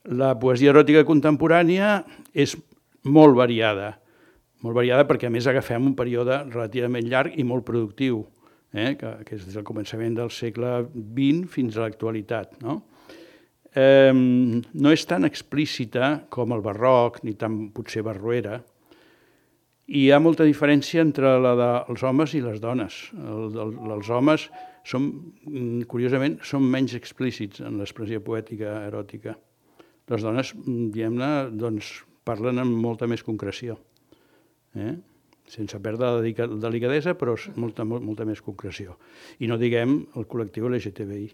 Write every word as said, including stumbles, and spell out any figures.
La poesia eròtica contemporània és molt variada, molt variada perquè a més agafem un període relativament llarg i molt productiu, eh? que, que és des del començament del segle vint fins a l'actualitat. No? Eh, no és tan explícita com el barroc, ni tan potser barroera, i hi ha molta diferència entre la dels homes i les dones. El, el, els homes, són, curiosament, són menys explícits en l'expressió poètica eròtica. Les dones, diguem-ne, doncs, parlen amb molta més concreció, eh? sense perdre la delicadesa, però molta, molta més concreció. I no diguem el col·lectiu L G T B I.